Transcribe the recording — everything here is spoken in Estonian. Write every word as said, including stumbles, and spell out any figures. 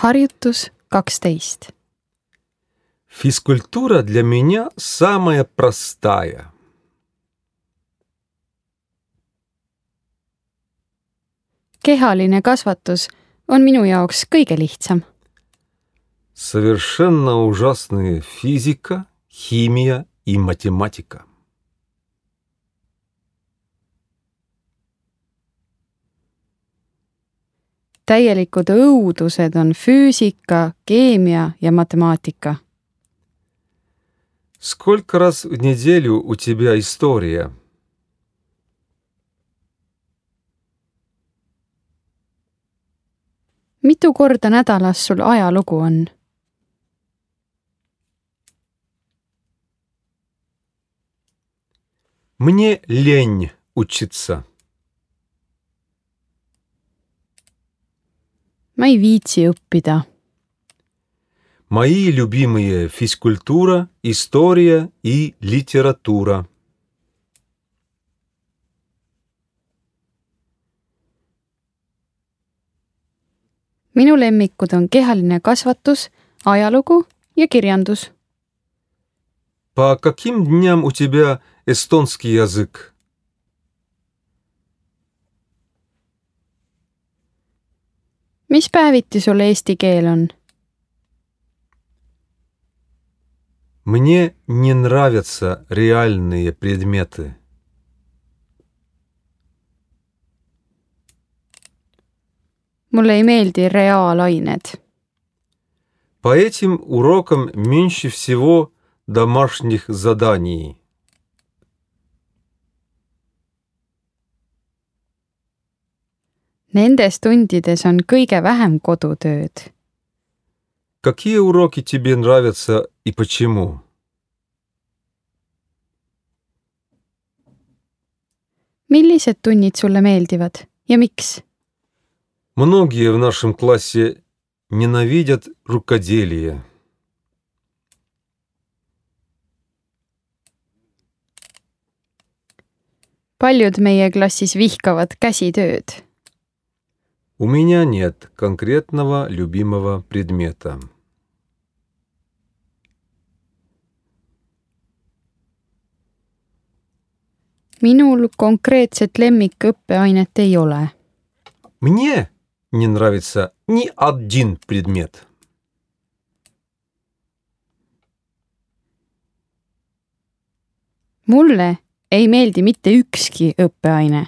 Harjutus kaksteist. Физкультура для меня самая простая. Kehaline kasvatus on minu jaoks kõige lihtsam. Совершенно ужасные физика, химия и математика. Täielikud õudused on füüsika, keemia ja matemaatika. Сколько раз в неделю у тебя история? Mitu korda nädalas sul ajalugu on? Мне лень учиться. Ma ei viitsi õppida. Мои любимые физкультура, история и литература. Minu lemmikud on kehaline kasvatus, ajalugu ja kirjandus. По каким дням у тебя эстонский язык? Mis päeviti sul eesti keel on? Мне не нравятся реальные предметы. Mulle ei meeldi reaalained. По этим урокам меньше всего домашних заданий. Nendes tundides on kõige vähem kodutööd. Какие уроки тебе нравятся и почему? Millised tunnid sulle meeldivad ja miks? Многие в нашем классе ненавидят рукоделие. Paljud meie klassis vihkavad käsitööd. У меня нет конкретного любимого предмета. Minul konkreetset lemmikõppeainet ei ole. Мне не нравится ни один предмет. Mulle ei meeldi mitte ükski õppeaine.